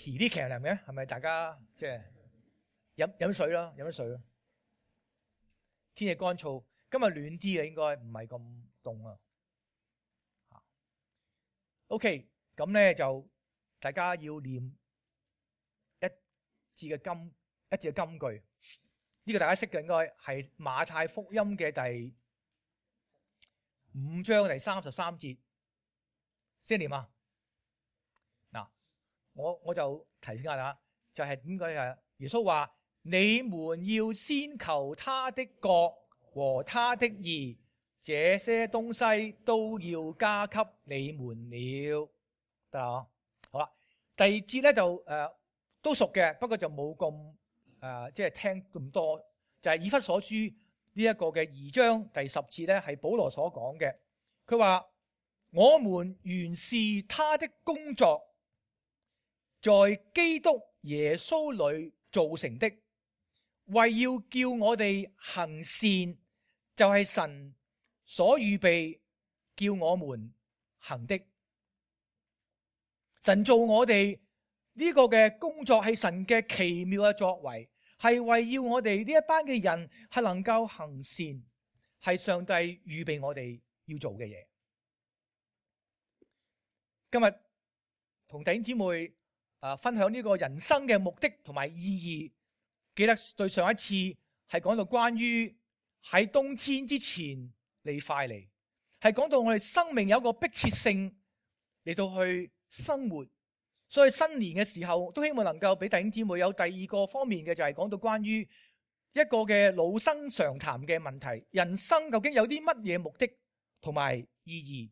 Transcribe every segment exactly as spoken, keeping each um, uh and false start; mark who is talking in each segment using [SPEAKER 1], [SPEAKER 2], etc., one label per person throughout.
[SPEAKER 1] 提啲騎呢嘅，係咪大家即係飲飲水啦，飲水啦。天氣乾燥，今日暖啲嘅，應該唔係咁凍啊。OK， 咁咧就大家要念一字嘅金一字嘅金句，呢、這個大家識嘅應該係馬太福音嘅第五章第三十三節，先念啊。嗱，我我就提醒下大家，就係點解啊？耶穌話：你們要先求他的國和他的義，這些東西都要加給你們了。得啦，好啦。第二節咧就誒、呃、都熟嘅，不過就冇咁誒即係聽咁多。就係、是、以弗所書呢一個嘅二章第十節咧，係保羅所講嘅。佢話：我們原是他的工作，在基督耶穌裏造成的，為要叫我哋行善，就係神所預備叫我們行的。神做我哋呢個嘅工作係神嘅奇妙嘅作為，係為要我哋呢一班嘅人係能夠行善，係上帝預備我哋要做嘅嘢。今日同弟兄姊妹啊分享呢個人生嘅目的同埋意義。記得對上一次係講到關於喺冬天之前你快嚟，係講到我哋生命有一個迫切性嚟到去生活，所以新年嘅時候都希望能夠俾弟兄姊妹有第二個方面嘅，就係講到關於一個嘅老生常談嘅問題，人生究竟有啲乜嘢目的同埋意義。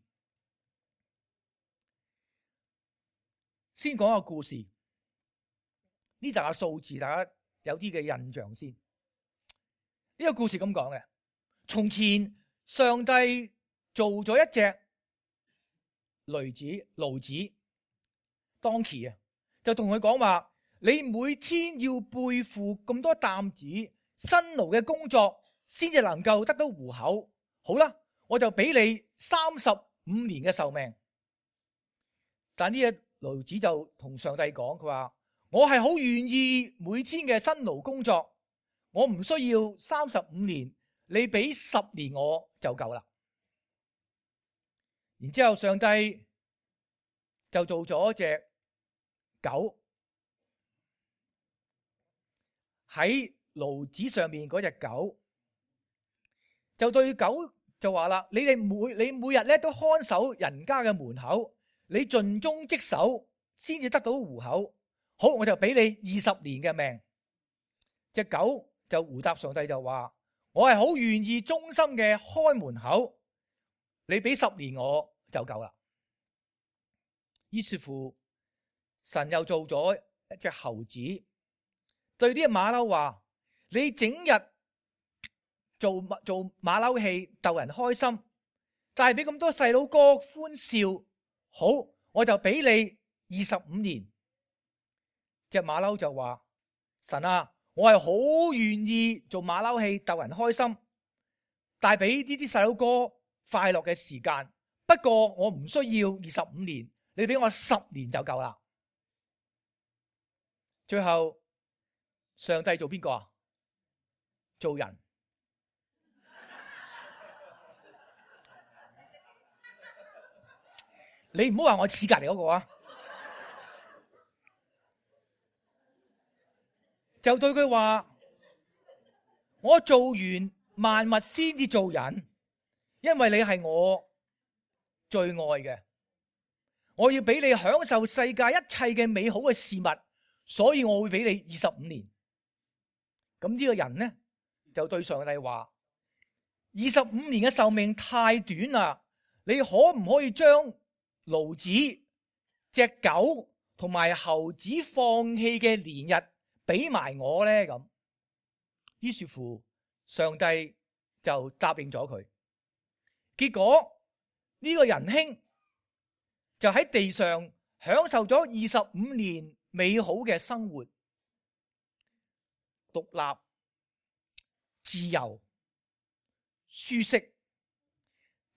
[SPEAKER 1] 先講個故事，呢集嘅數字大家有啲嘅印象先。呢個故事咁講嘅，從前上帝做咗一隻驢子，驢子當期啊，就同佢講話：你每天要背負咁多擔子，辛勞嘅工作，先至能夠得到糊口。好啦，我就俾你三十五年嘅壽命。但呢隻驢子就同上帝講，佢話：我係好願意每天嘅辛勞工作，我唔需要三十五年，你俾十年我就夠啦。然之後上帝就做咗隻狗，喺驢子上面嗰隻狗就對狗就話啦：你哋每你每日咧都看守人家嘅門口，你盡忠職守先至得到糊口。好，我就俾你二十年嘅命。隻狗就回答上帝就話：我係好願意忠心嘅開門口，你俾十年我就夠啦。於是乎，神又做咗一隻猴子，對啲馬騮話：你整日做做馬騮戲逗人開心，帶俾咁多細佬哥歡笑。好，我就俾你二十五年。隻馬騮就話：神啊，我係好願意做馬騮戲逗人開心，帶俾呢啲細佬哥快樂嘅時間。不過我唔需要二十五年，你俾我十年就夠啦。最後上帝做邊個啊？做人。你唔好話我似隔籬嗰個啊！就對佢話：我做完萬物先至做人，因為你係我最愛嘅，我要俾你享受世界一切嘅美好嘅事物，所以我會俾你二十五年。咁呢個人呢就對上帝話：二十五年嘅壽命太短啦，你可唔可以將驢子、隻狗同埋猴子放棄嘅年日俾埋我咧？咁於是乎，上帝就答應咗佢。結果呢個仁兄就喺地上享受咗二十五年美好嘅生活，獨立、自由、舒適。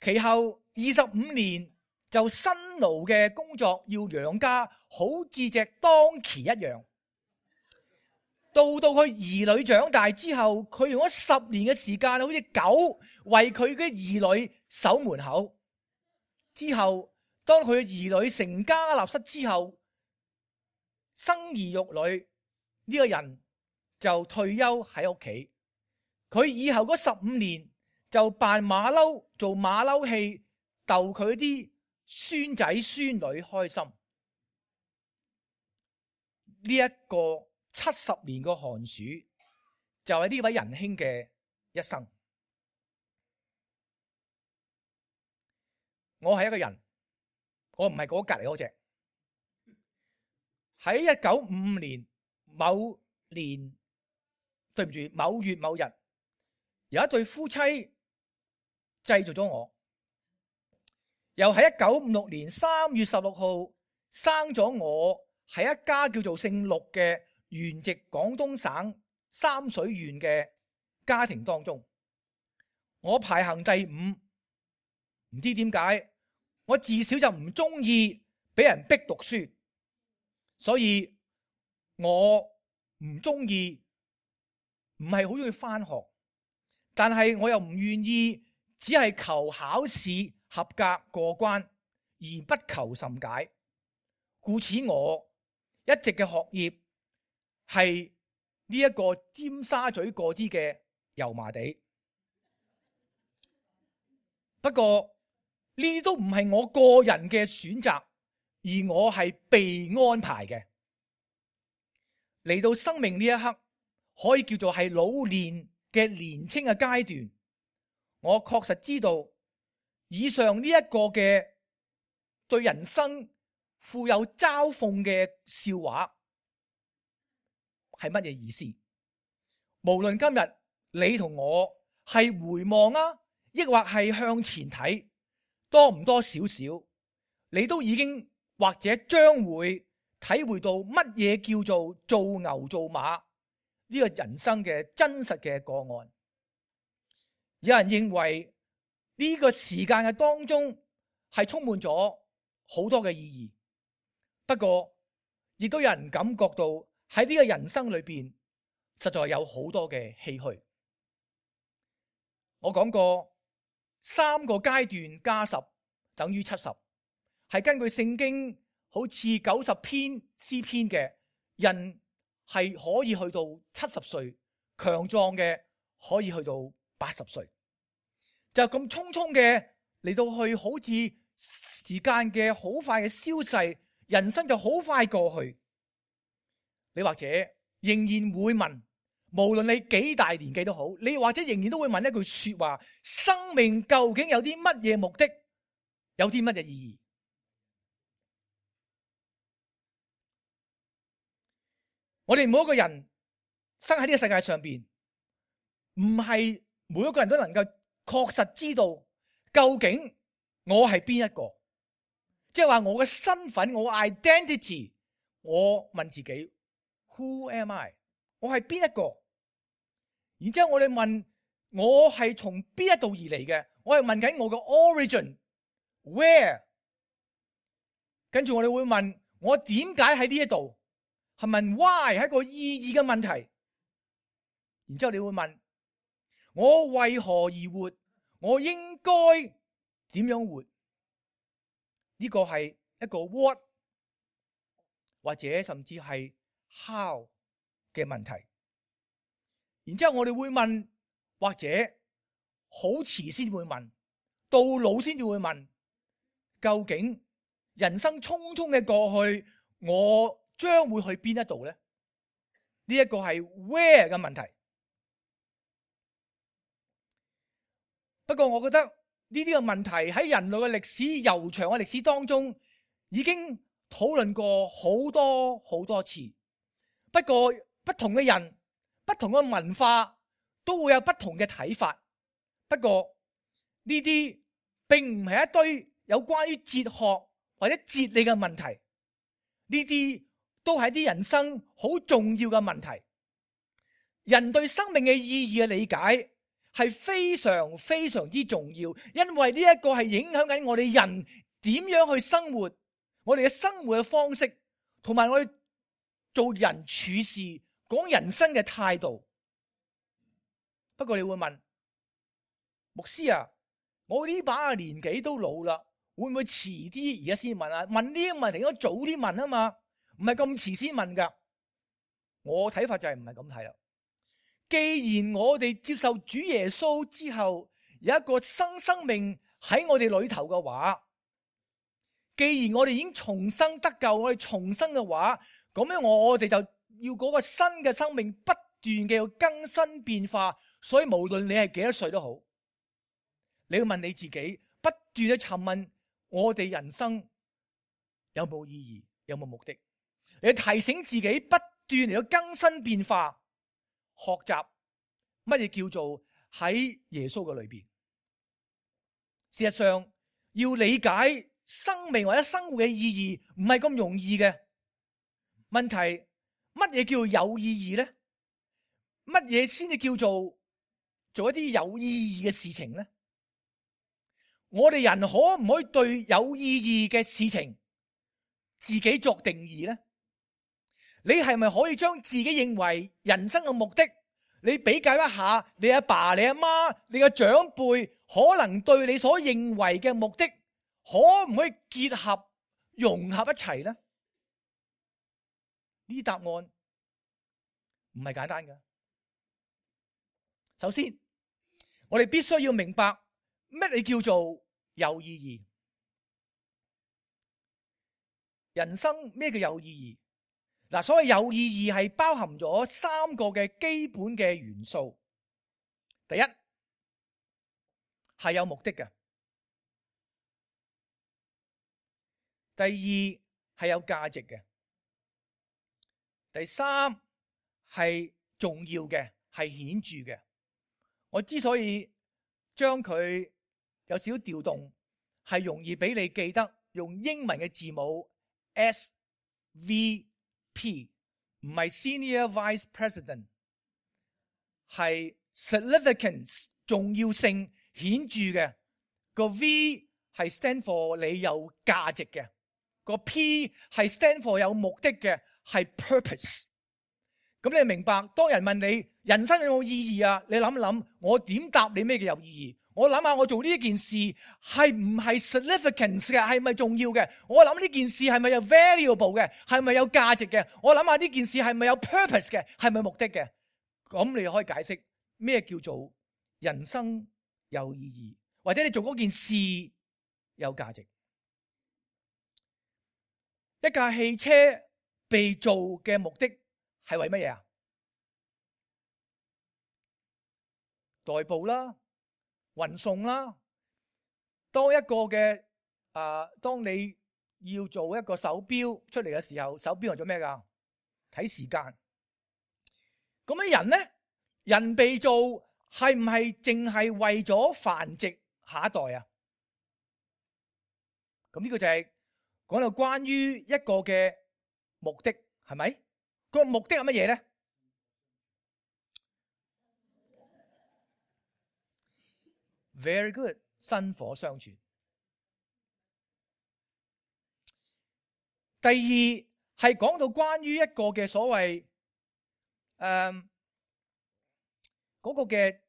[SPEAKER 1] 其後二十五年就辛勞嘅工作，要養家，好似隻當期一樣。到到佢兒女長大之後，佢用咗十年嘅時間，好似狗為佢嘅兒女守門口。之後，當佢嘅兒女成家立室之後，生兒育女，呢個人就退休喺屋企。佢以後嗰十五年就扮馬騮，做馬騮戲，逗佢啲孫仔孫女開心。呢一個七十年個寒暑，就係呢位仁兄嘅一生。我係一個人，我唔係嗰隔籬嗰隻。喺一九五五年某年，對唔住，某月某日，有一對夫妻製造咗我。又喺一九五六年三月十六號生咗我，喺一家叫做姓陸嘅原籍廣東省三水縣嘅家庭當中，我排行第五。唔知點解，我自小就唔中意俾人逼讀書，所以我唔中意，唔係好中意返學，但係我又唔願意只係求考試合格過關，而不求甚解。故此我一直嘅學業係呢一個尖沙咀嗰啲嘅油麻地。不過呢啲都唔係我個人嘅選擇，而我係被安排嘅。嚟到生命呢一刻，可以叫做係老年嘅年青嘅階段，我確實知道以上呢一個嘅對人生富有嘲諷嘅笑話係乜嘢意思？無論今日你同我係回望啊，抑或係向前睇，多唔多少少，你都已經或者將會體會到乜嘢叫做做牛做馬呢個人生嘅真實嘅個案。有人認為呢個時間嘅當中係充滿咗好多嘅意義，不過亦都有人感覺到喺呢個人生裏邊實在有好多嘅唏噓。我講過三個階段加十等於七十，係根據聖經好似九十篇詩篇嘅，人係可以去到七十歲，強壯嘅可以去到八十歲，就咁匆匆嘅嚟到去，好似時間嘅好快嘅消逝，人生就好快過去。你或者仍然會問，無論你幾大年紀都好，你或者仍然都會問一句說話：生命究竟有啲乜嘢目的，有啲乜嘢意義？我哋每一個人生喺呢個世界上邊，唔係每一個人都能夠確實知道究竟我係邊一個，即係話我嘅身份，我 identity， 我問自己 Who am I？ 我係邊一個？然之後我哋問我係從邊一度而嚟嘅？我係問緊我嘅 origin where？ 跟住我哋會問我點解喺呢一度？係問 why 係一個意義嘅問題。然之後你會問我為何而活？我應該點樣活？呢個係一個 what 或者甚至係 how 嘅問題。然之後我哋會問，或者好遲先會問，到老先至會問，究竟人生匆匆嘅過去，我將會去邊一度呢？呢、這、一個係 where 嘅問題。不過我覺得呢啲嘅問題喺人類嘅歷史悠長嘅歷史當中，已經討論過好多好多次。不過不同嘅人、不同嘅文化都會有不同嘅睇法。不過呢啲並唔係一堆有關於哲學或者哲理嘅問題，呢啲都係啲人生好重要嘅問題。人對生命嘅意義嘅理解係非常非常之重要，因為呢一個係影響緊我哋人點樣去生活，我哋嘅生活嘅方式同埋我哋做人處事講人生嘅態度。不過你會問牧師啊，我呢把年紀都老啦，會唔會遲啲而家先問啊？問呢啲問題應該早啲問啊嘛，唔係咁遲先問噶。我睇法就係唔係咁睇啦。既然我哋接受主耶穌之後有一個新生命喺我哋裏頭嘅話，既然我哋已經重生得救，我哋重生嘅話，咁樣我哋就要嗰個新嘅生命不斷嘅要更新變化。所以無論你係幾多歲都好，你要問你自己，不斷去詢問我哋人生有冇意義，有冇目的？你提醒自己不斷嚟到更新變化，學習乜嘢叫做喺耶穌嘅裏邊。事實上，要理解生命或者生活嘅意義唔係咁容易嘅。問題，乜嘢叫有意義呢？乜嘢先至叫做做一啲有意義嘅事情呢？我哋人可唔可以對有意義嘅事情自己作定義呢？你係咪可以將自己認為人生嘅目的，你比較一下你阿爸、你阿媽、你嘅長輩可能對你所認為嘅目的，可唔可以結合融合一齊呢？呢啲答案唔係簡單嘅。首先，我哋必須要明白乜嘢叫做有意義。人生咩叫有意義？嗱，所謂有意義係包含咗三個嘅基本嘅元素。第一，係有目的嘅；第二，係有價值嘅；第三，係重要嘅，係顯著嘅。我之所以將佢有少少調動，係容易俾你記得，用英文嘅字母 S V P， 唔係 Senior Vice President， 係 Significance， 重要性顯著嘅。個 V 係 stand for 你有價值嘅，個 P 係 stand for 有目的嘅，係 purpose。咁你明白，當人問你人生有冇意義啊？你諗一諗，我點答你咩叫有意義？我諗下，我做呢一件事係唔係 significance 嘅，係咪重要嘅？我諗呢件事係咪有 valuable 嘅，係咪有價值嘅？我諗下呢件事係咪有 purpose 嘅，係咪目的嘅？咁你可以解釋咩叫做人生有意義，或者你做嗰件事有價值。一架汽車被造嘅目的係為乜嘢啊？代步啦，運送啦。當一個嘅啊、呃，當你要做一個手錶出嚟嘅時候，手錶係做咩噶？睇時間。咁樣人咧，人被造係唔係淨係為咗繁殖下一代啊？咁呢個就係講到關於一個嘅目的，係咪？個目的係乜嘢咧？Very good， 薪火相傳。第二係講到關於一個嘅所謂誒嗰個嘅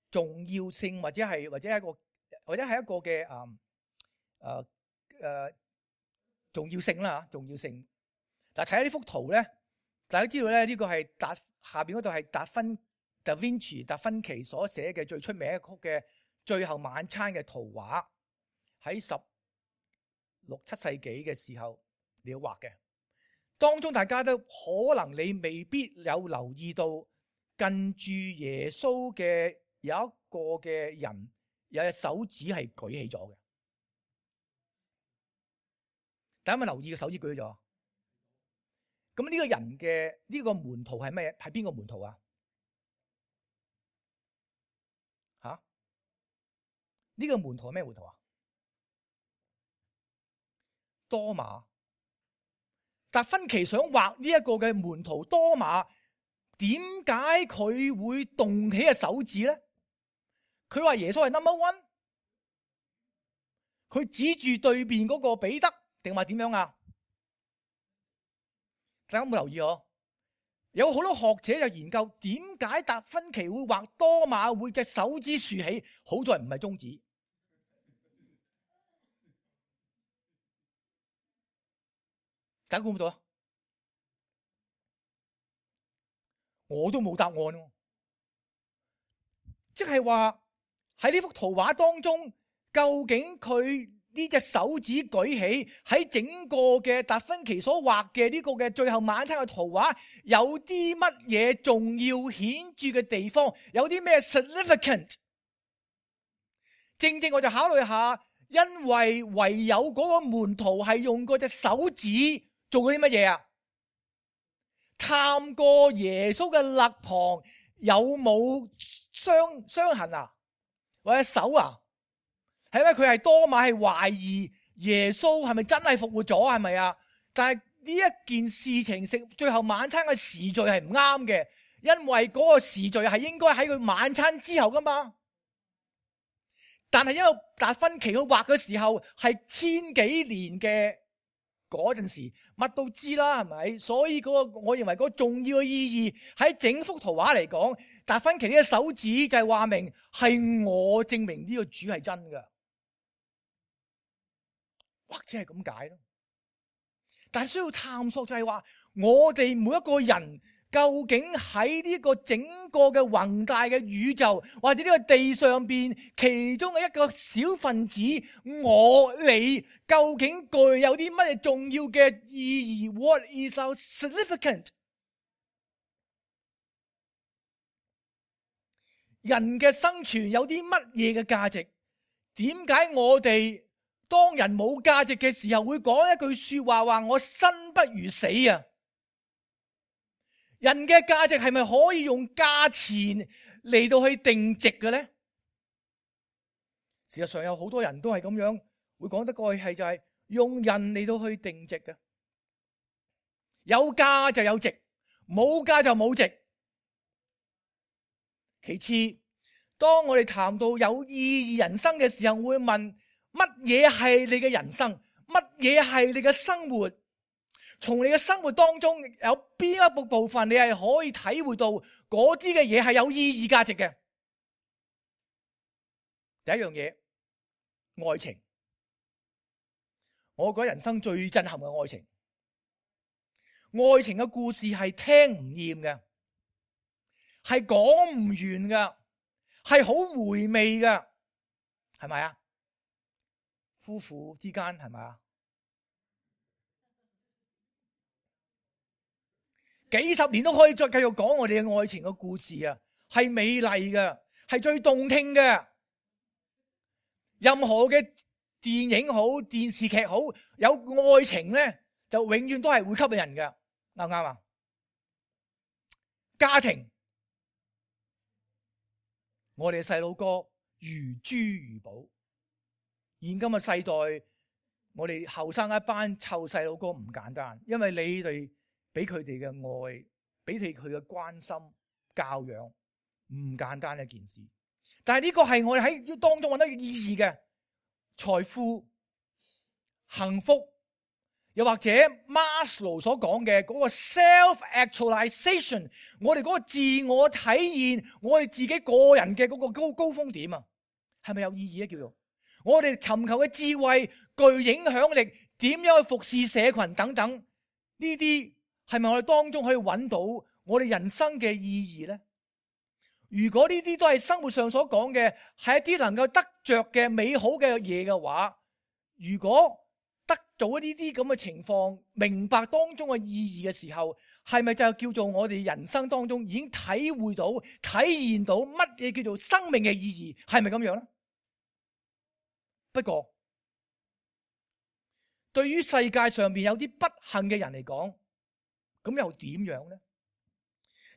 [SPEAKER 1] 重要性，或者係或者係一個或者係一個嘅誒誒誒重要性啦吓，重要性。嗱，睇下呢幅圖咧，大家知道咧，呢個係達下邊嗰度係達芬 Da Vinci 達芬奇所寫嘅最出名一曲嘅最後晚餐嘅圖畫，喺十六七世紀嘅時候你要畫嘅。當中大家都可能你未必有留意到，近住耶穌嘅有一個嘅人有隻手指係舉起咗嘅。大家有冇留意個手指舉咗？咁呢個人嘅呢、這個門徒係咩？係邊個門徒啊？吓、啊？呢、這個門徒係咩門徒啊？多馬。達芬奇想畫呢一個嘅門徒多馬，點解佢會動起嘅手指咧？佢話耶穌係 number one， 佢指住對面嗰個彼得，定話點樣啊？大家有冇留意我？有好多學者就研究點解達芬奇會畫多馬會隻手指豎起，好在唔係中指。大家估唔到啊？我都冇答案喎。即係話喺呢幅圖畫當中，究竟佢呢隻手指舉起喺整個嘅達芬奇所畫嘅呢個嘅最後晚餐嘅圖畫，有啲乜嘢重要顯著嘅地方？有啲咩 significant？ 正正我就考慮下，因為唯有嗰個門徒係用嗰隻手指做過啲乜嘢啊？探過耶穌嘅肋旁有冇傷傷痕啊，或者手啊？係因為佢係多馬係懷疑耶穌係咪真係復活咗，係咪啊？但係呢一件事情食最後晚餐嘅時序係唔啱嘅，因為嗰個時序係應該喺佢晚餐之後噶嘛。但係因為達芬奇佢畫嘅時候係千幾年嘅嗰陣時，乜都知啦，係咪？所以嗰個我認為嗰個重要嘅意義喺整幅圖畫嚟講，達芬奇呢個手指就係話明係我證明呢個主係真嘅，或者係咁解咯。但係需要探索就係話，我哋每一個人究竟喺呢個整個嘅宏大嘅宇宙，或者呢個地上邊其中嘅一個小分子，我你究竟具有啲乜嘢重要嘅意義 ？What is so significant？ 人嘅生存有啲乜嘢嘅價值？點解我哋當人冇價值嘅時候會講一句說話，話我生不如死啊？人嘅價值係咪可以用價錢嚟到去定值嘅咧？事實上有好多人都係咁樣會講得過去，係就係用人嚟到去定值嘅。有價就有值，冇價就冇值。其次，當我哋談到有意義人生嘅時候，會問乜嘢係你嘅人生？乜嘢係你嘅生活？從你嘅生活當中有邊一部部分你係可以體會到嗰啲嘅嘢係有意義價值嘅？第一樣嘢，愛情。我覺得人生最震撼嘅愛情，愛情嘅故事係聽唔厭嘅，係講唔完嘅，係好回味嘅，係咪啊？夫婦之間係咪啊？幾十年都可以再繼續講我哋嘅愛情嘅故事啊，係美麗嘅，係最動聽嘅。任何嘅電影好，電視劇好，有愛情咧，就永遠都係會吸引人嘅，啱唔啱啊？家庭，我哋嘅細佬哥如珠如寶。現今嘅世代，我哋後生一班湊細佬哥唔簡單，因為你哋俾佢哋嘅愛，俾佢佢嘅關心、教養，唔簡單一件事。但係呢個係我哋喺當中揾到意義嘅財富、幸福，又或者 Maslow 所講嘅嗰個 self-actualization， 我哋嗰個自我體現，我哋自己個人嘅嗰個高高峰點啊，係咪有意義咧？叫做我哋尋求嘅智慧、具影響力，點樣去服侍社群等等，呢啲係咪我哋當中可以揾到我哋人生嘅意義咧？如果呢啲都係生活上所講嘅，係一啲能夠得着嘅美好嘅嘢嘅話，如果得到呢啲咁嘅情況，明白當中嘅意義嘅時候，係咪就叫做我哋人生當中已經體會到、體現到乜嘢叫做生命嘅意義？係咪咁樣咧？不過，對於世界上面有啲不幸嘅人嚟講，咁又點樣咧？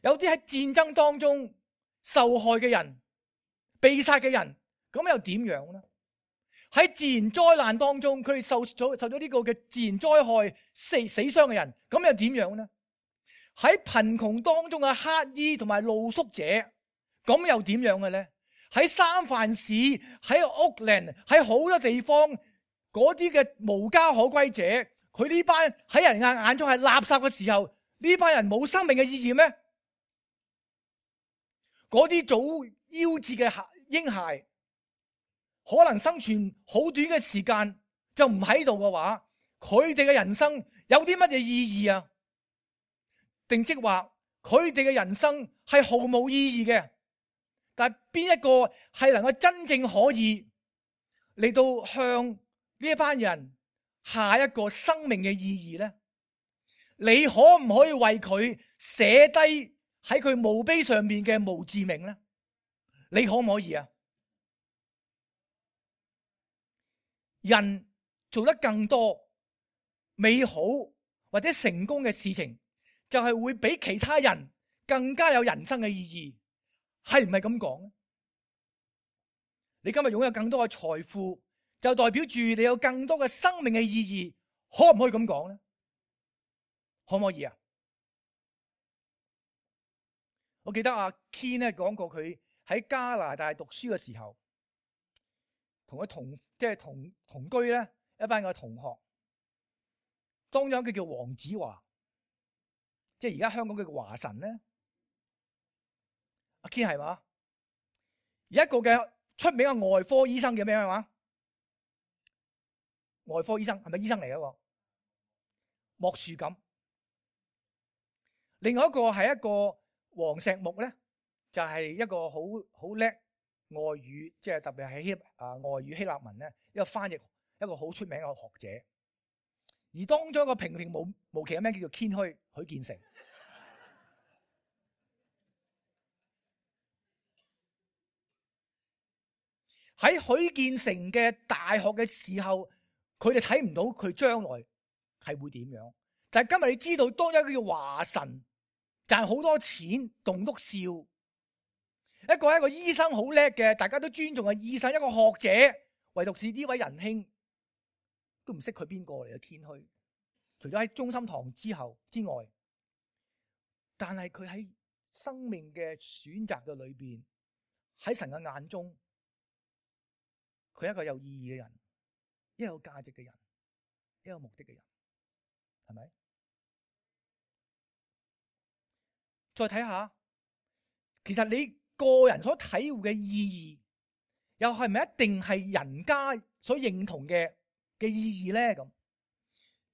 [SPEAKER 1] 有啲喺戰爭當中受害嘅人、被殺嘅人，咁又點樣咧？喺自然災難當中，佢哋受咗受咗呢個嘅自然災害死死傷嘅人，咁又點樣咧？喺貧窮當中嘅乞衣同埋露宿者，咁又點樣嘅咧？喺三藩市、喺奧克蘭、喺好多地方，嗰啲嘅無家可歸者，佢呢班喺人眼眼中係垃圾嘅時候，呢班人冇生命嘅意義咩？嗰啲早夭折嘅嬰孩，可能生存好短嘅時間就唔喺度嘅話，佢哋嘅人生有啲乜嘢意義啊？定即話佢哋嘅人生係毫無意義嘅？但係邊一個係能夠真正可以嚟到向呢一班人下一個生命嘅意義呢？你可唔可以為佢寫低喺佢墓碑上面嘅墓誌銘呢？你可唔可以啊？人做得更多美好或者成功嘅事情，就係會比其他人更加有人生嘅意義，係唔係咁講呢？你今日擁有更多嘅財富，就代表住你有更多嘅生命嘅意義，可唔可以咁講呢？可唔可以啊？我記得阿 Ken 咧講過，佢喺加拿大讀書嘅時候，同佢同即係同同居咧一班嘅同學，當中一個叫黃子華，即係而家香港嘅華神咧。阿 Ken 係嘛？有一個嘅出名嘅外科醫生叫咩話？外科醫生係咪醫生嚟嘅？莫樹錦。另外一個係一個黃石木咧，就係一個好好叻外語，即係特別係希啊外語希臘文咧，一個翻譯，一個好出名嘅學者。而當中一個平平無無奇嘅名叫做謙虛許建成。喺許建成嘅大學嘅時候，佢哋睇唔到佢將來係會點樣。但係今日你知道，當一個叫華神賺好多錢，棟篤笑，一個係一個醫生好叻嘅，大家都尊重嘅醫生，一個學者，唯獨是呢位仁兄都唔識佢邊個嚟嘅謙虛，除咗喺中心堂之後之外，但係佢喺生命嘅選擇嘅裏邊，喺神嘅眼中，佢係一個有意義嘅人，一個有價值嘅人，一個有目的嘅人，係咪？再睇下，其實你個人所體會嘅意義，又係咪一定係人家所認同嘅嘅意義咧？咁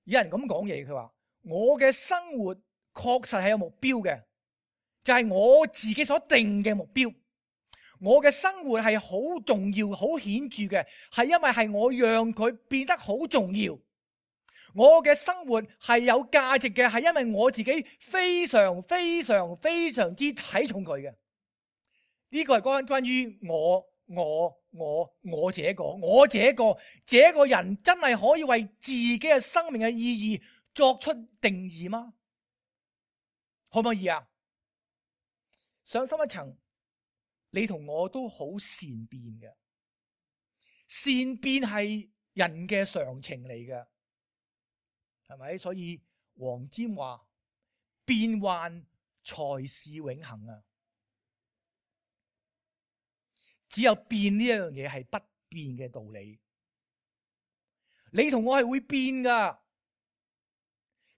[SPEAKER 1] 有人咁講嘢，佢話我嘅生活確實係有目標嘅，就係我自己所定嘅目標。我嘅生活係好重要、好顯著嘅，係因為係我讓佢變得好重要。我嘅生活係有價值嘅，係因為我自己非常、非常、非常之睇重佢嘅。呢個係關關於我、我、我、我這個、我這個、這個人真係可以為自己嘅生命嘅意義作出定義嗎？可唔可以啊？上深一層。你同我都好善變嘅，善變係人嘅常情嚟嘅，係咪？所以黃霑話變幻才是永恆啊！只有變呢一樣嘢係不變嘅道理。你同我係會變噶，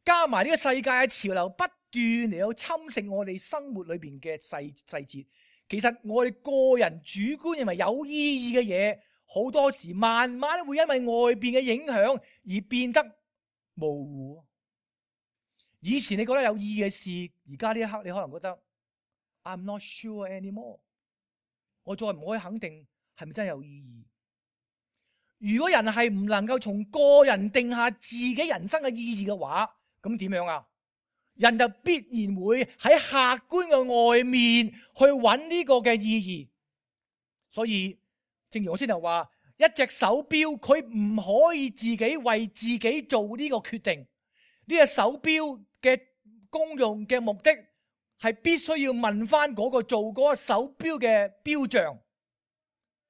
[SPEAKER 1] 加埋呢個世界嘅潮流不斷嚟到侵蝕我哋生活裏邊嘅細細節。其實我哋個人主觀認為有意義嘅嘢，好多時慢慢會因為外邊嘅影響而變得模糊。以前你覺得有意義嘅事，而家呢一刻你可能覺得 I'm not sure anymore。我再唔可以肯定係咪真係有意義。如果人係唔能夠從個人定下自己人生嘅意義嘅話，咁點樣啊？人就必然會喺客觀嘅外面去揾呢個嘅意義。所以正如我先頭話，一隻手錶佢唔可以自己為自己做呢個決定。呢隻手錶嘅功用嘅目的係必須要問翻嗰個做嗰個手錶嘅錶匠。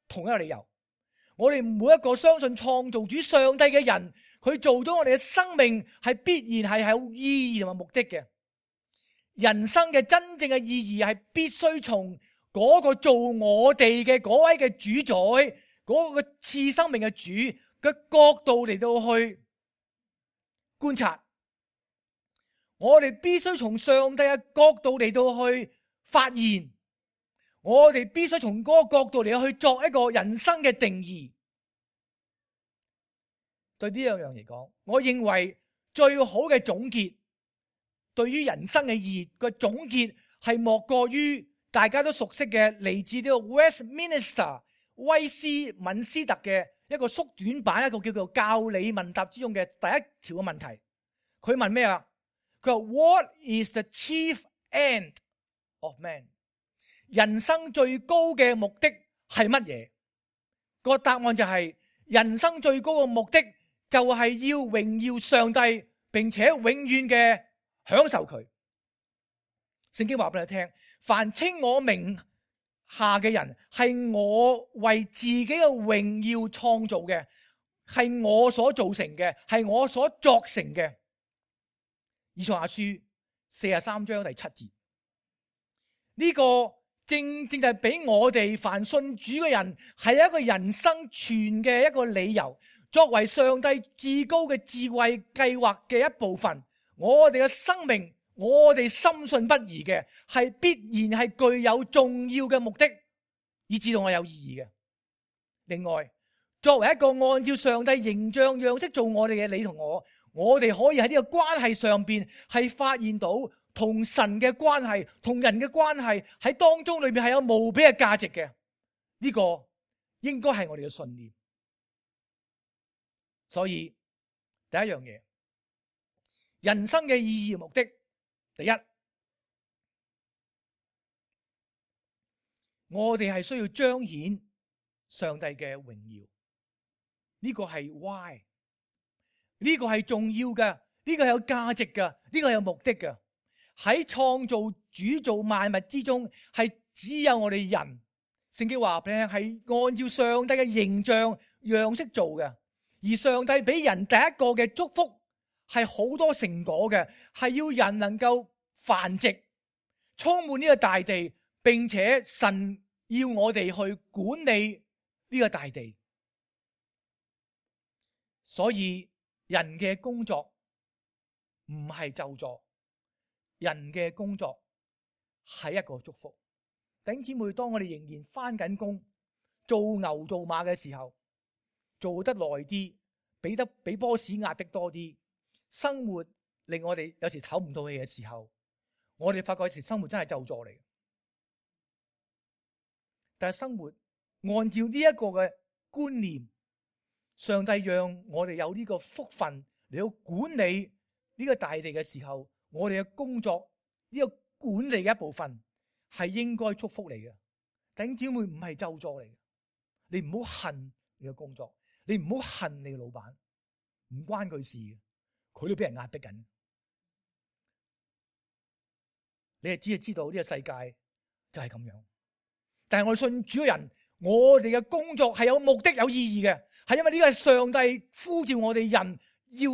[SPEAKER 1] 同一個理由，我哋每一個相信創造主上帝嘅人，佢做咗我哋嘅生命係必然係有意義同埋目的嘅。人生嘅真正嘅意義係必須從嗰個做我哋嘅嗰位嘅主宰，嗰個賜生命嘅主嘅角度嚟到去觀察。我哋必須從上帝嘅角度嚟到去發現，我哋必須從嗰個角度嚟去作一個人生嘅定義。對呢兩樣嚟講，我認為最好嘅總結，對於人生嘅意義嘅總結，係莫過於大家都熟悉嘅嚟自呢個 Westminster 威斯敏斯特嘅一個縮短版，一個叫做教理問答之中嘅第一條嘅問題。佢問咩啊？佢話 What is the chief end of man？ 人生最高嘅目的係乜嘢？個答案就係、是、人生最高嘅目的就係要榮耀上帝，並且永遠嘅享受佢。聖經話俾你聽，凡稱我名下嘅人，係我為自己嘅榮耀創造嘅，係我所造成嘅，係我所作成嘅。以賽亞書四十三章第七節，呢、這個正正就係俾我哋凡信主嘅人係一個人生存嘅一個理由，作為上帝至高嘅智慧計劃嘅一部分。我哋嘅生命，我哋深信不疑嘅，係必然係具有重要嘅目的，以至到我有意義嘅。另外，作為一個按照上帝形象樣式做我哋嘅你同我，我哋可以喺呢個關係上邊係發現到同神嘅關係、同人嘅關係喺當中裏面係有無比嘅價值嘅。呢、這個應該係我哋嘅信念。所以第一樣嘢，人生嘅意義目的，第一，我哋係需要彰顯上帝嘅榮耀。呢、這個係 why， 呢個係重要嘅，呢、這個係有價值嘅，呢、這個係有目的嘅。喺創造主造萬物之中，係只有我哋人。聖經話俾你聽，係按照上帝嘅形象樣式做嘅。而上帝俾人第一個嘅祝福係好多成果嘅，係要人能夠繁殖，充滿呢個大地，並且神要我哋去管理呢個大地。所以人嘅工作唔係咒詛，人嘅工作係一個祝福。弟兄姊妹，當我哋仍然返緊工，做牛做馬嘅時候，做得耐啲，俾得俾 boss 壓迫多啲，生活令我哋有時唞唔到氣嘅時候，我哋發覺有時生活真係咒詛嚟。但係生活按照呢一個嘅觀念，上帝讓我哋有呢個福分嚟到管理呢個大地嘅時候，我哋嘅工作呢個管理嘅一部分係應該祝福嚟嘅。弟兄姊妹，唔係咒詛嚟嘅，你唔好恨你嘅工作。你唔好恨你嘅老闆，唔關佢事嘅，佢都俾人壓迫緊。你係只係知道呢個世界就係咁樣。但係我哋信主嘅人，我哋嘅工作係有目的、有意義嘅，係因為呢個係上帝呼召我哋人要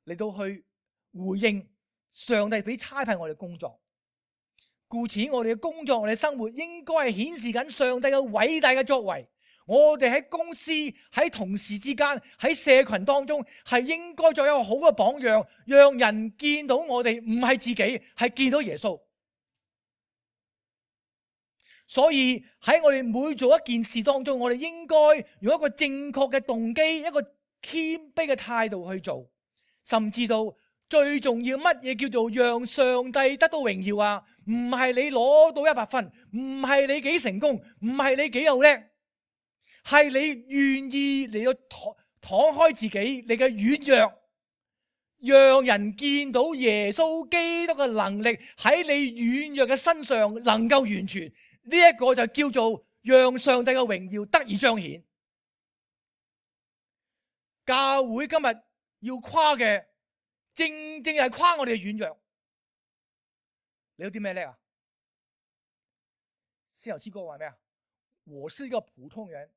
[SPEAKER 1] 嚟到去回應上帝俾差派我哋工作。故此，我哋嘅工作、我哋嘅生活應該係顯示緊上帝嘅偉大嘅作為。我哋喺公司、喺同事之間、喺社群當中，係應該做一個好嘅榜樣，讓人見到我哋唔係自己，係見到耶穌。所以喺我哋每做一件事當中，我哋應該用一個正確嘅動機、一個謙卑嘅態度去做，甚至到最重要乜嘢叫做讓上帝得到榮耀啊？唔係你攞到一百分，唔係你幾成功，唔係你幾有叻。係你願意嚟到敞敞開自己，你嘅軟弱，讓人見到耶穌基督嘅能力喺你軟弱嘅身上能夠完全，呢、這、一個就叫做讓上帝嘅榮耀得以彰顯。教會今日要誇嘅，正正係誇我哋嘅軟弱。你有啲咩叻啊？先頭詩歌話咩啊？我是一個普通人。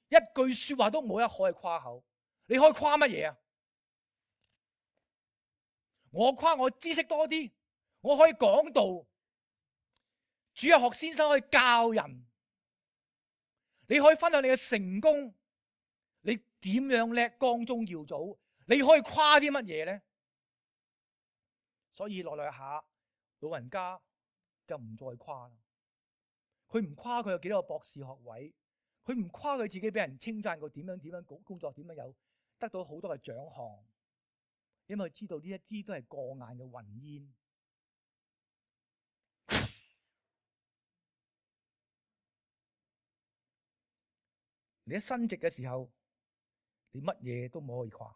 [SPEAKER 1] 一句說話都冇一可以誇口，你可以誇乜嘢啊？我誇我知識多啲，我可以講道，主日學先生可以教人，你可以分享你嘅成功，你點樣叻，光宗耀祖，你可以誇啲乜嘢咧？所以來來下老人家就唔再誇啦。佢唔誇佢有幾多個博士學位，佢唔誇佢自己俾人稱讚過點樣點樣工作點樣有得到好多嘅獎項，因為佢知道呢一啲都係過眼嘅雲煙。你一升職嘅時候，你乜嘢都冇可以誇。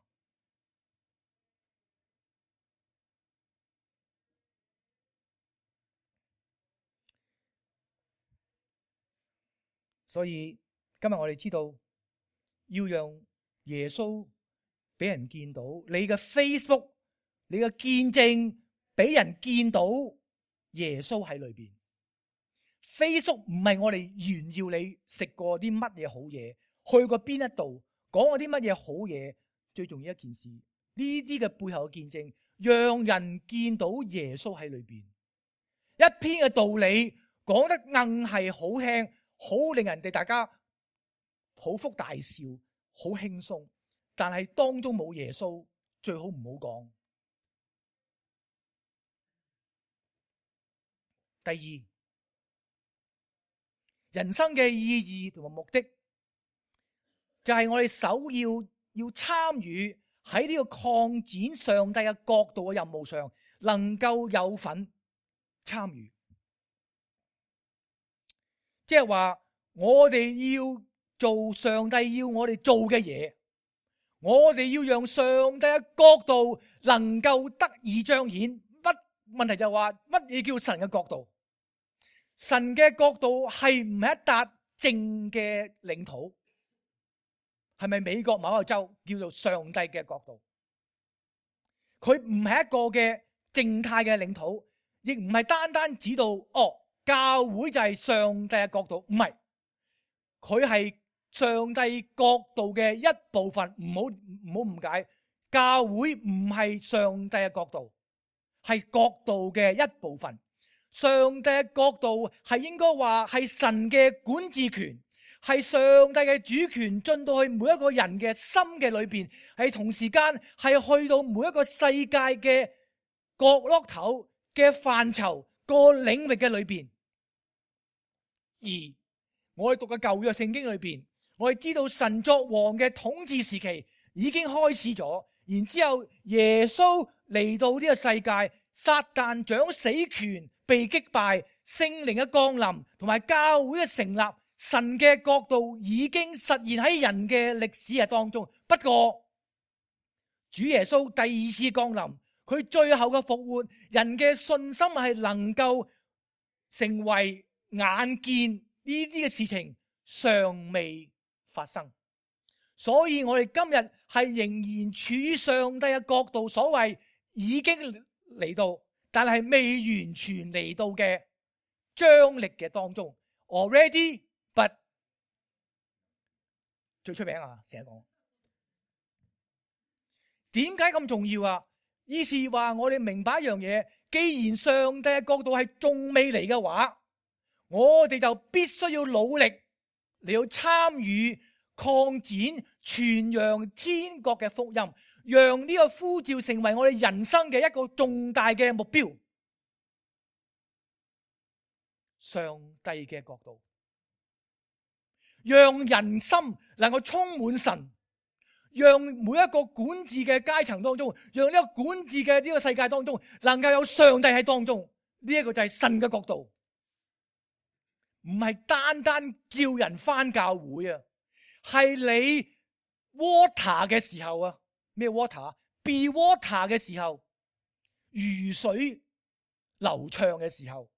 [SPEAKER 1] 所以今日我哋知道要讓耶穌俾人見到，你嘅 Facebook、你嘅見證俾人見到耶穌喺裏邊。Facebook 唔係我哋炫耀你食過啲乜嘢好嘢，去過邊一度，講過啲乜嘢好嘢。最重要一件事，呢啲嘅背後嘅見證，讓人見到耶穌喺裏邊。一篇嘅道理講得硬係好聽，好令人哋大家捧腹大笑，好輕鬆，但係當中冇耶穌，最好唔好講。第二，人生嘅意義同埋目的，就係我哋首要要參與喺呢個擴展上帝嘅國度嘅任務上，能夠有份參與。即係話我哋要做上帝要我哋做嘅嘢，我哋要讓上帝嘅國度能夠得以彰顯。乜問題就係話乜嘢叫神嘅國度？神嘅國度係唔係一笪靜嘅領土？係咪美國某個州叫做上帝嘅國度？佢唔係一個嘅靜態嘅領土，亦唔係單單指到哦，教會就係上帝嘅國度，唔係，佢係上帝國度嘅一部分。唔好唔好誤解，教會唔係上帝嘅國度，係國度嘅一部分。上帝嘅國度係應該話係神嘅管治權，係上帝嘅主權進到去每一個人嘅心嘅裏邊，係同時間係去到每一個世界嘅角落頭嘅範疇個領域嘅裏邊。而我哋讀嘅舊約聖經裏邊，我哋知道神作王嘅統治時期已經開始咗，然之後耶穌嚟到呢個世界，撒旦掌死權被擊敗，聖靈嘅降臨同埋教會嘅成立，神嘅國度已經實現喺人嘅歷史嘅當中。不過主耶穌第二次降臨，佢最後嘅復活，人嘅信心係能夠成為眼見呢啲嘅事情尚未發生，所以我哋今日係仍然處於上帝嘅國度，所謂已經嚟到，但係未完全嚟到嘅張力嘅當中。Already, but 最出名啊，成日講，點解咁重要啊？意思話我哋明白一樣嘢，既然上帝嘅國度係仲未嚟嘅話，我哋就必須要努力嚟到參與擴展傳揚天國嘅福音，讓呢個呼召成為我哋人生嘅一個重大嘅目標。上帝嘅國度，讓人心能夠充滿神，讓每一個管治嘅階層當中，讓呢個管治嘅呢個世界當中，能夠有上帝喺當中。呢一個就係神嘅國度，唔係單單叫人返教會啊，係你 water 嘅時候啊，咩 water？be water 嘅時候，如水流暢嘅時候，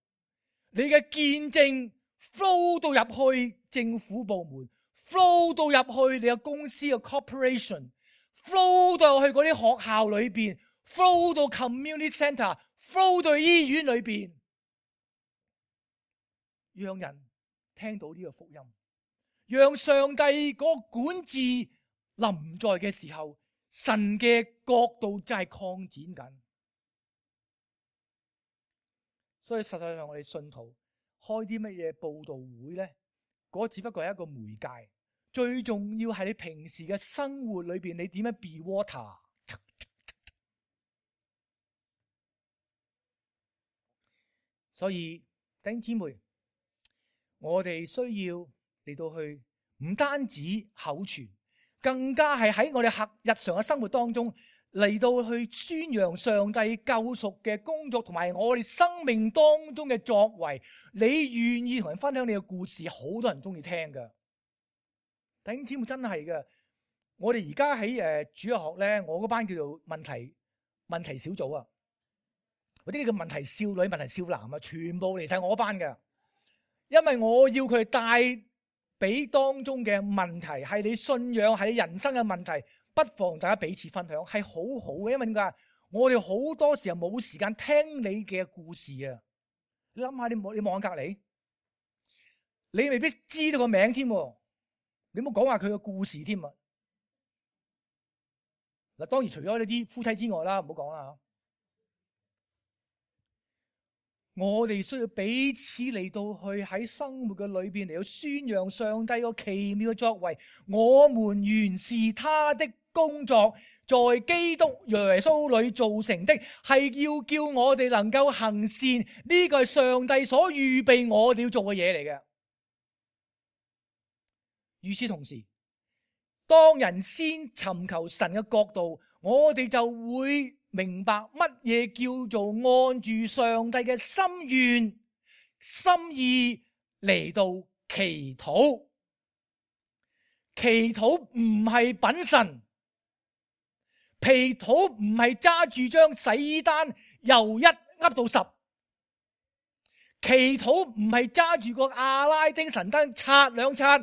[SPEAKER 1] 你嘅見證 flow 到入去政府部門， flow 到入去你嘅公司嘅 corporation， flow 到去嗰啲學校裏邊， flow 到 community center， flow 到醫院裏邊，讓人聽到呢個福音，讓上帝嗰個管治臨在嘅時候，神嘅國度就係擴展緊。所以實際上我哋信徒開啲乜嘢佈道會咧，嗰只不過係一個媒介，最重要係你平時嘅生活裏邊，你點樣 be water。所以弟兄姊妹，我哋需要嚟到去唔單止口傳，更加係喺我哋日常嘅生活當中嚟到去宣揚上帝救贖嘅工作，同埋我哋生命當中嘅作為。你願意同人分享你嘅故事，好多人中意聽噶。弟兄姊妹，真係噶。我哋而家喺誒主日學咧，我嗰班叫做問題問題小組啊，嗰啲叫問題少女、問題少男啊，全部嚟晒我班嘅。因為我要佢哋帶俾當中嘅問題，係你信仰，係你人生嘅問題，不妨大家彼此分享，係好好嘅。因為點解？我哋好多時候冇時間聽你嘅故事啊！你諗下，你望你望下隔籬，你未必知道個名添，你唔好講話佢嘅故事添啊！嗱，當然除咗呢啲夫妻之外啦，唔好講啦。我哋需要彼此嚟到去喺生活嘅裏邊嚟到宣揚上帝個奇妙嘅作為。我們原是他的工作，在基督耶穌裏造成的，係要叫我哋能夠行善。呢個係上帝所預備我哋要做嘅嘢嚟嘅。與此同時，當人先尋求神嘅國度，我哋就會明白乜嘢叫做按住上帝嘅心願、心意嚟到祈禱。祈禱唔係品神，祈禱唔係揸住張洗衣單由一噏到十，祈禱唔係揸住個阿拉丁神燈刷兩刷。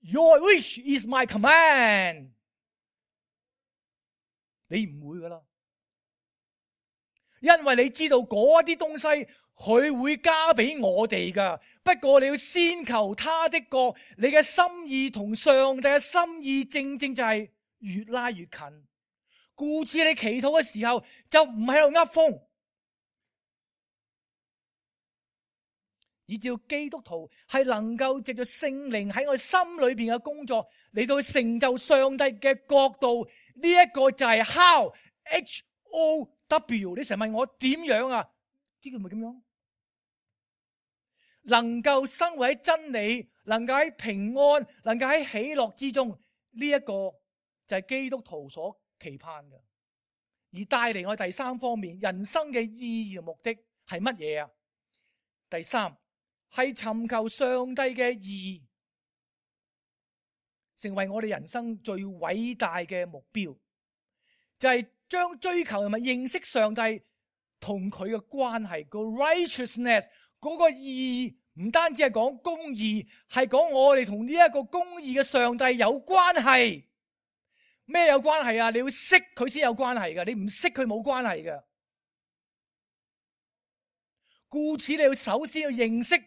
[SPEAKER 1] Your wish is my command。你唔會噶啦，因為你知道嗰啲東西佢會加俾我哋噶。不過你要先求他的國，你嘅心意同上帝嘅心意正正就係越拉越近。故此你祈禱嘅時候就唔喺度噏風。以至基督徒係能夠藉着聖靈喺我心裏邊嘅工作嚟到成就上帝嘅國度。呢、這、一個就係 how H O W。你成日問我點樣啊？呢個咪咁樣，能夠生活喺真理，能夠喺平安，能夠喺喜樂之中。呢、這、一個就係基督徒所期盼嘅，而帶嚟我第三方面人生嘅意義和目的係乜嘢啊？第三。係尋求上帝嘅義，成為我哋人生最偉大嘅目標，就係將追求同埋認識上帝同佢嘅關係個 righteousness 嗰個義，唔單止係講公義，係講我哋同呢一個公義嘅上帝有關係。咩有關係啊？你要識佢先有關係㗎，你唔識佢冇關係㗎。故此你要首先要認識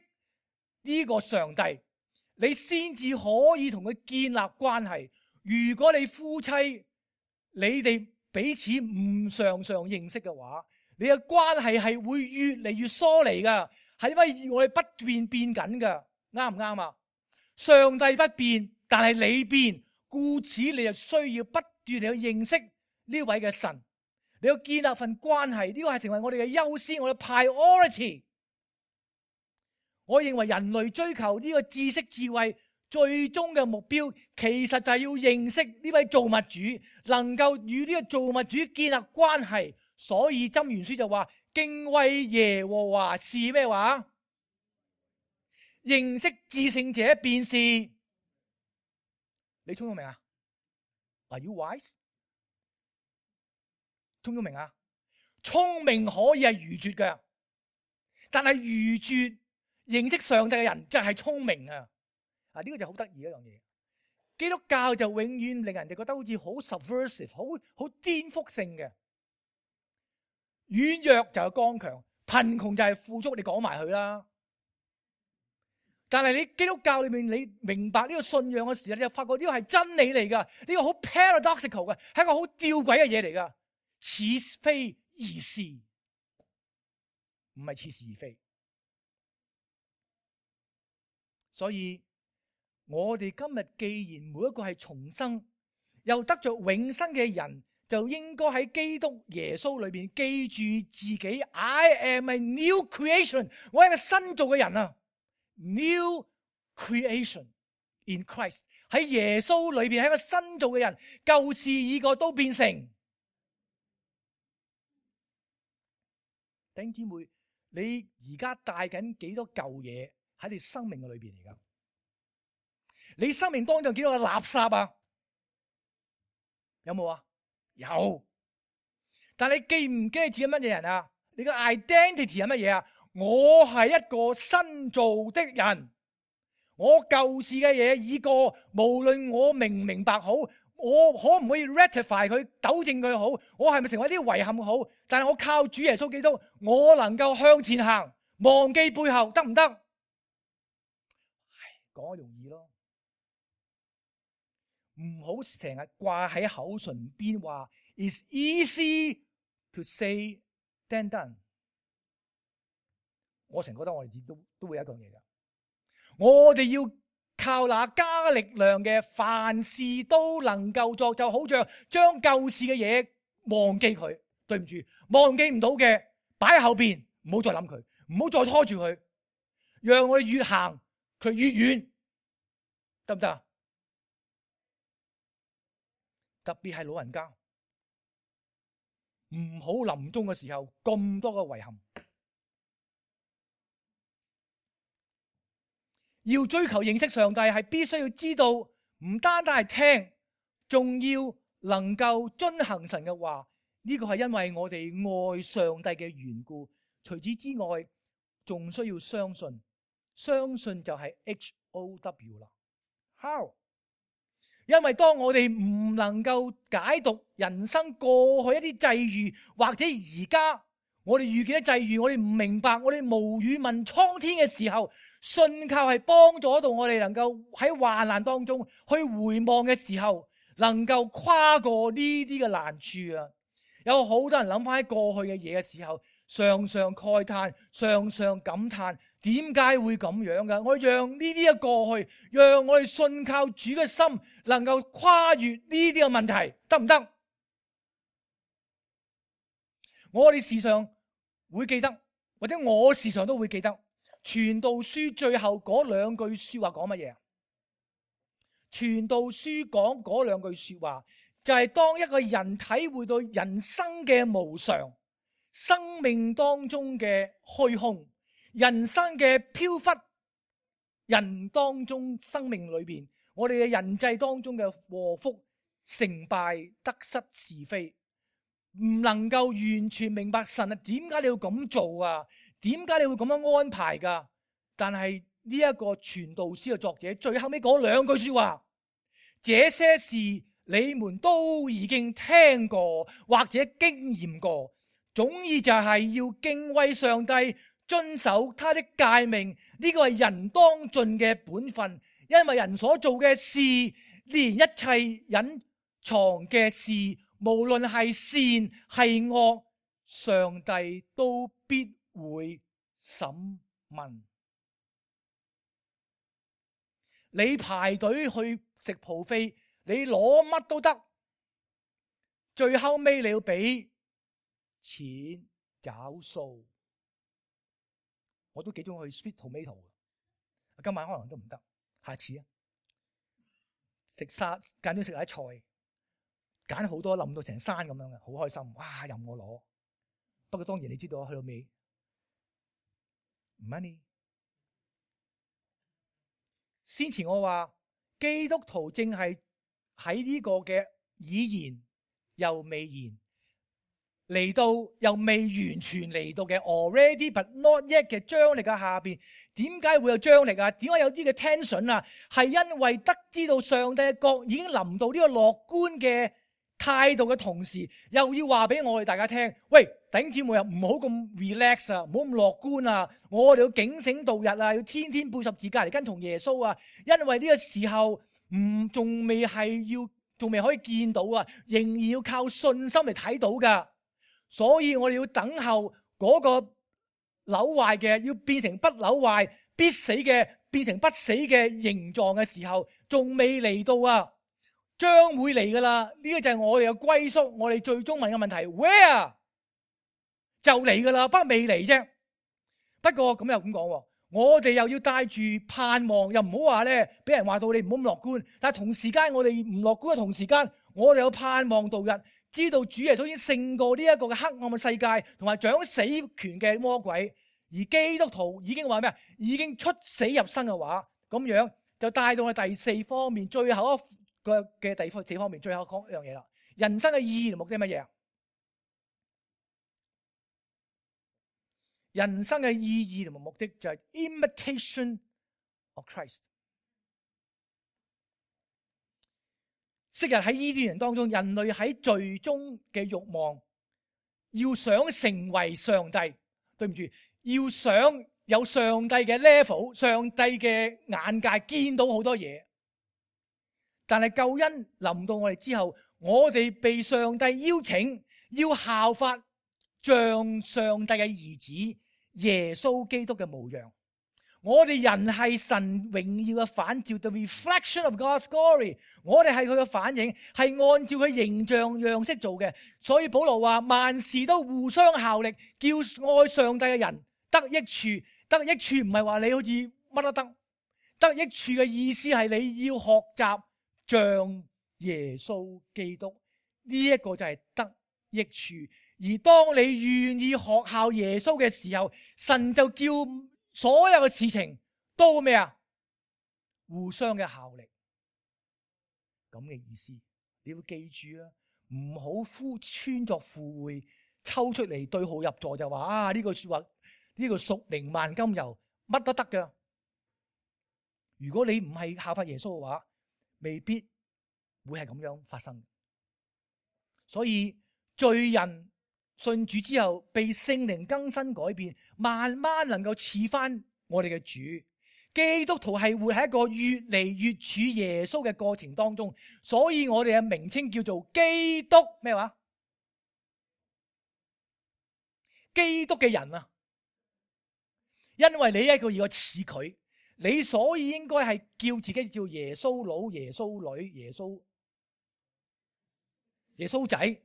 [SPEAKER 1] 呢個上帝，你先至可以同佢建立關係。如果你夫妻你哋彼此唔常常認識嘅話，你嘅關係係會越嚟越疏離噶，係因為我哋不斷變緊噶，啱唔啱啊？上帝不變，但係你變，故此你就需要不斷嚟去認識呢位嘅神，你要建立份關係。呢個係成為我哋嘅優先，我哋 priority。我認為人類追求呢個知識智慧最終嘅目標，其實就係要認識呢位造物主，能夠與呢個造物主建立關係。所以箴言書就話：敬畏耶和華是咩話？認識至聖者便是。你聰唔聰明啊？ Are you wise？ 聰唔聰明啊？聰明可以係愚拙嘅，但係愚拙認識上帝嘅人就係聰明啊！啊，呢個就好得意一樣嘢。基督教就永遠令人哋覺得好似好 subversive， 好好顛覆性嘅。軟弱就係剛強，貧窮就係富足，你講埋佢啦。但係你基督教裏面，你明白呢個信仰嘅時候，你就發覺呢個係真理嚟噶，呢個好 paradoxical 嘅，係一個好吊詭嘅嘢嚟噶，似非而是，唔係似是而非。所以我哋今日既然每一個係重生又得着永生嘅人，就應該喺基督耶穌裏邊記住自己 I am a new creation， 我係一個新造嘅人啊 ，new creation in Christ， 喺耶穌裏邊係一個新造嘅人，舊事已過都變成。弟兄姊妹，你而家帶緊幾多舊嘢喺你生命嘅裏邊嚟噶？你生命當中有幾多個垃圾啊？有冇啊？有。但你記唔記得自己乜嘢人啊？你個 identity 係乜嘢啊？我係一個新造的人，我舊事嘅嘢已過，無論我明唔明白好，我可唔可以 rectify 佢，糾正佢好？我係咪成為啲遺憾好？但係我靠主耶穌基督，我能夠向前行，忘記背後，得唔得？講容易咯，唔好成日掛喺口唇邊話 It's easy to say than done。我成日覺得我哋都都會有一樣嘢噶，我哋要靠那加力量嘅，凡事都能夠作，就好像將舊事嘅嘢忘記佢。對唔住，忘記唔到嘅擺喺後邊，唔好再諗佢，唔好再拖住佢，讓我哋越行佢越遠，得唔得啊？特別係老人家，唔好臨終嘅時候咁多嘅遺憾。要追求認識上帝，係必須要知道，唔單單係聽，仲要能夠遵行神嘅話。呢個係因為我哋愛上帝嘅緣故。除此之外，仲需要相信，相信就係 H O W 啦。How？ 因為當我哋唔能夠解讀人生過去一啲際遇，或者而家我哋遇見嘅際遇，我哋唔明白，我哋無語問蒼天嘅時候，信靠係幫助到我哋能夠喺患難當中去回望嘅時候，能夠跨過呢啲嘅難處啊！有好多人諗翻喺過去嘅嘢嘅時候，常常慨嘆，常常感嘆，點解會咁樣噶？我讓呢啲嘅過去，讓我哋信靠主嘅心，能夠跨越呢啲嘅問題，得唔得？我哋時常會記得，或者我時常都會記得，傳道書最後嗰兩句說話講乜嘢？傳道書講嗰兩句說話，就係當一個人體會到人生嘅無常，生命當中嘅虛空，人生嘅飄忽，人當中生命裏邊，我哋嘅人際當中嘅禍福、成敗、得失、是非，唔能夠完全明白神啊，點解你要咁做啊？點解你會咁樣安排噶？但係呢一個傳道書嘅作者最後尾講兩句說話，這些事你們都已經聽過或者經驗過，總意就係要敬畏上帝，遵守他的誡命。呢個係人當盡嘅本分，因為人所做嘅事，連一切隱藏嘅事，無論係善係惡，上帝都必會審問。你排隊去食 buffet，你攞乜都得，最後尾你要俾錢找數。我都幾中意去 sweet tomato， 今晚可能都唔得，下次啊，食沙揀咗食下啲菜，揀好多冧到成山咁樣嘅，好開心，哇！任我攞。不過當然你知道去到尾 money。先前我話基督徒正係喺呢個嘅已然又未然嚟到又未完全嚟到嘅 already but not yet 嘅張力嘅下邊，點解會有張力啊？點解有啲嘅 tension 啊？係因為得知到上帝嘅國已經臨到呢個樂觀嘅態度嘅同時，又要話俾我哋大家聽，喂，弟兄姊妹啊，唔好咁 relax 啊，唔好咁樂觀啊，我哋要警醒度日啊，要天天背十字架嚟跟從耶穌啊，因為呢個時候唔仲未係要，仲未可以見到啊，仍然要靠信心嚟睇到噶。所以我哋要等候嗰個朽壞嘅要變成不朽壞，必死嘅變成不死嘅形狀嘅時候，仲未嚟到啊！將會嚟噶啦。呢個就係我哋嘅歸宿，我哋最終問嘅問題 ，Where 就嚟噶啦，不過未嚟啫。不過咁又咁講，我哋又要帶住盼望，又唔好話咧，俾人話到你唔好咁樂觀。但係同時間，我哋唔樂觀嘅同時間，我哋有盼望度日，知道主耶穌已經勝過呢一個嘅黑暗嘅世界，同埋掌死權嘅魔鬼。而基督徒已經話咩啊？已經出死入生嘅話，咁樣就帶到去第四方面，最後一個嘅第四方面，最後講一樣嘢啦。人生嘅意義同目的係乜嘢啊？人生嘅意義同埋目的就係 imitation of Christ。昔日喺伊甸園當中，人類喺最終嘅慾望，要想成為上帝，對唔住，要想有上帝嘅 level，上帝嘅眼界，見到好多嘢。但係救恩臨到我哋之後，我哋被上帝邀請，要效法像上帝嘅兒子耶穌基督嘅模樣。我哋人係神榮耀嘅反照 ，the reflection of God's glory。我哋係佢嘅反應，係按照佢形象樣式做嘅。所以保羅話萬事都互相效力，叫愛上帝嘅人得益處。得益處唔係話你好似乜都得，得益處嘅意思係你要學習像耶穌基督。呢一個就係得益處。而當你願意學效耶穌嘅時候，神就叫所有嘅事情都咩啊？互相嘅效力，咁嘅意思。你要記住啊，唔好呼穿作附會，抽出嚟對號入座就話啊呢句說話，呢個屬靈萬金油乜都得㗎。如果你唔係效法耶穌嘅話，未必會係咁樣發生。所以罪人信主之後，被聖靈更新改變，慢慢能夠似翻我哋嘅主。基督徒係活喺一個越嚟越似耶穌嘅過程當中，所以我哋嘅名稱叫做基督咩話？基督嘅人啊，因為你一個要似佢，你所以應該係叫自己叫耶穌佬、耶穌女、耶穌耶穌仔。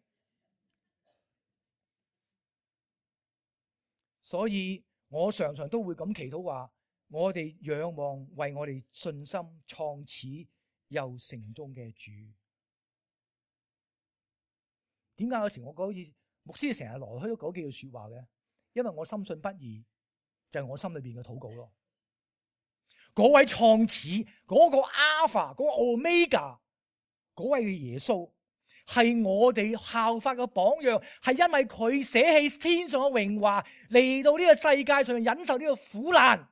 [SPEAKER 1] 所以我常常都會咁祈禱話，我哋仰望為我哋信心創始又成終嘅主。點解有時我覺得好似牧師成日來去都講幾句說話嘅？因為我深信不疑，就係我心裏邊嘅禱告咯。嗰位創始，嗰個 Alpha，嗰個 Omega，嗰位嘅耶穌，係我哋效法嘅榜樣，係因為佢捨棄天上嘅榮華，嚟到呢個世界上忍受呢個苦難，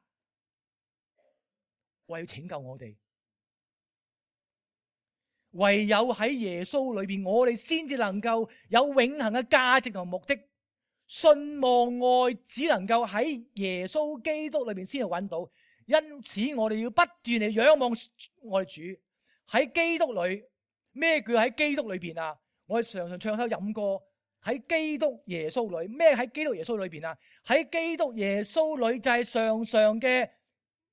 [SPEAKER 1] 為要拯救我哋。唯有喺耶穌裏邊，我哋先至能夠有永恆嘅價值同目的。信望愛只能夠喺耶穌基督裏邊先至揾到。因此我哋要不斷地仰望我哋主。喺基督裏，咩叫喺基督裏邊啊？我哋常常唱首飲歌，喺基督耶穌裏。咩喺基督耶穌裏邊啊？喺基督耶穌裏就係常常嘅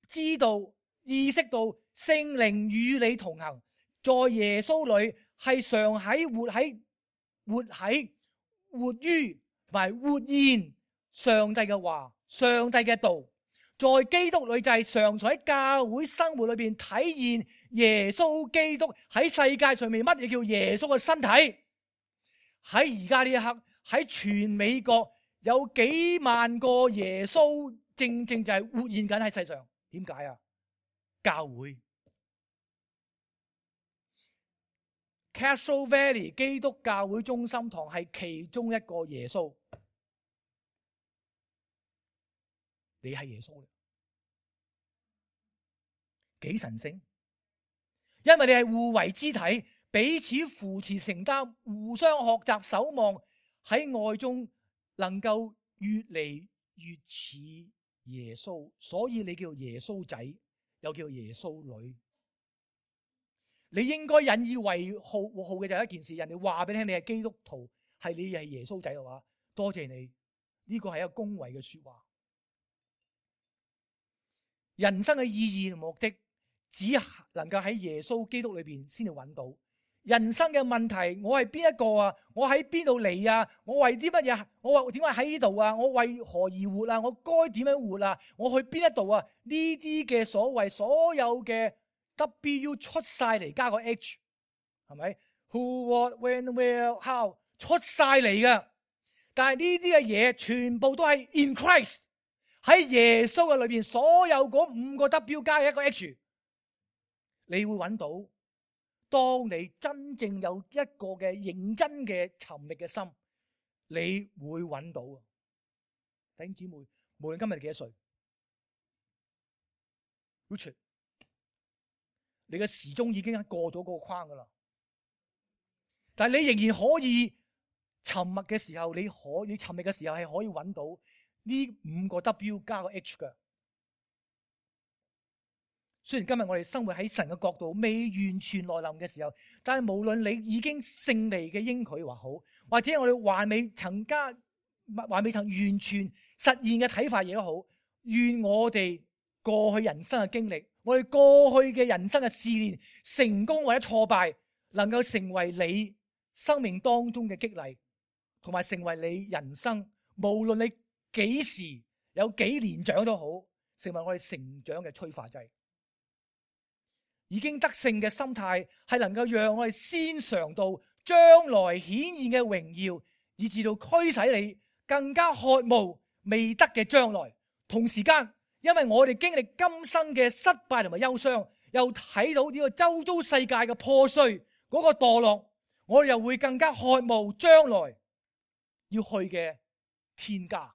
[SPEAKER 1] 知道、意識到聖靈與你同行。在耶穌裏係常喺活喺活喺活於同埋活現上帝嘅話、上帝嘅道。在基督裏就係常常喺教會生活裏邊體現耶穌基督喺世界上面乜嘢叫耶穌嘅身體。喺而家呢一刻，喺全美國有幾萬個耶穌正正就係活現緊喺世上。點解啊？教會 Castro Valley 基督教會中心堂係其中一個耶穌。你係耶穌，幾神聖？因為你係互為肢體，彼此扶持承擔，互相學習守望，喺愛中能夠越嚟越似耶穌。所以你叫耶穌仔，又叫耶穌女。你應該引以為豪豪嘅就係一件事，人哋話俾你聽，你係基督徒，係你係耶穌仔嘅話，多謝你。呢個係一個恭維嘅說話。人生嘅意義同目的，只能夠喺耶穌基督裏邊先至揾到。人生嘅問題，我係邊一個啊？我喺邊度嚟啊？我為啲乜嘢？我話點解喺呢度啊？我為何而活啊？我該點樣活啊？我去邊一度啊？呢啲嘅所謂所有嘅 W 出晒嚟，加個 H， 係咪 ？Who, what, when, where, how 出晒嚟㗎。但係呢啲嘅嘢全部都係 in Christ， 喺耶穌嘅裏邊，所有嗰五個 W 加一個 H， 你會揾到。當你真正有一個嘅認真嘅尋覓嘅心，你會揾到。弟兄姊妹，無論今日你幾多歲 Richard， 你嘅時鐘已經過咗嗰個框噶啦，但係你仍然可以沉默嘅時候，你可你尋覓嘅時候係可以揾到呢五個 W 加個 H 嘅。雖然今日我哋生活喺神嘅國度未完全來臨嘅時候，但係無論你已經勝利嘅應許話好，或者我哋還未曾加還未曾完全實現嘅睇法嘢都好，願我哋過去人生嘅經歷，我哋過去嘅人生嘅試煉，成功或者挫敗，能夠成為你生命當中嘅激勵，同埋成為你人生無論你幾時有幾年長都好，成為我哋成長嘅催化劑。已經得勝嘅心態係能夠讓我哋先嘗到將來顯現嘅榮耀，以至到驅使你更加渴慕未得嘅將來。同時間，因為我哋經歷今生嘅失敗同埋憂傷，又睇到呢個周遭世界嘅破碎，嗰個墮落，我哋又會更加渴慕將來要去嘅天家。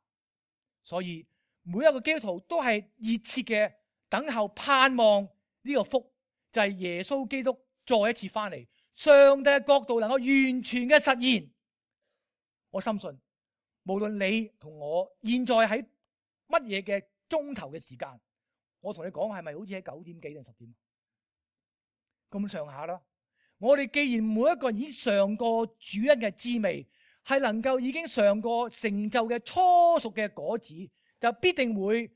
[SPEAKER 1] 所以每一個基督徒都係熱切嘅等候盼望呢個福，就係耶穌基督再一次翻嚟，上帝嘅國度能夠完全嘅實現。我深信，無論你同我現在喺乜嘢嘅鐘頭嘅時間，我同你講係咪好似喺九點幾定十點咁上下啦？我哋既然每一個人已經嘗過主恩嘅滋味，係能夠已經嘗過成就嘅初熟嘅果子，就必定會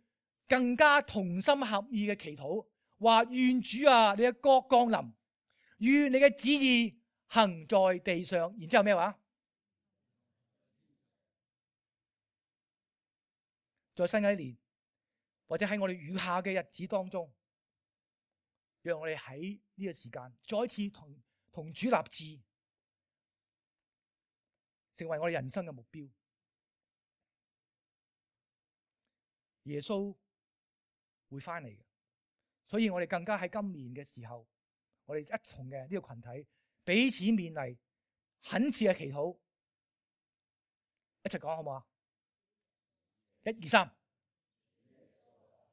[SPEAKER 1] 更加同心合意嘅祈禱。話願主啊，你嘅國降臨，願你嘅旨意行在地上。然之後咩話？在新嘅一年，或者喺我哋餘下嘅日子當中，讓我哋喺呢個時間再一次同同主立志，成為我哋人生嘅目標。耶穌會翻嚟嘅。所以我哋更加喺今年嘅時候，我哋一同嘅呢個群體彼此勉勵，懇切嘅祈禱，一齊講好唔好啊？一二三。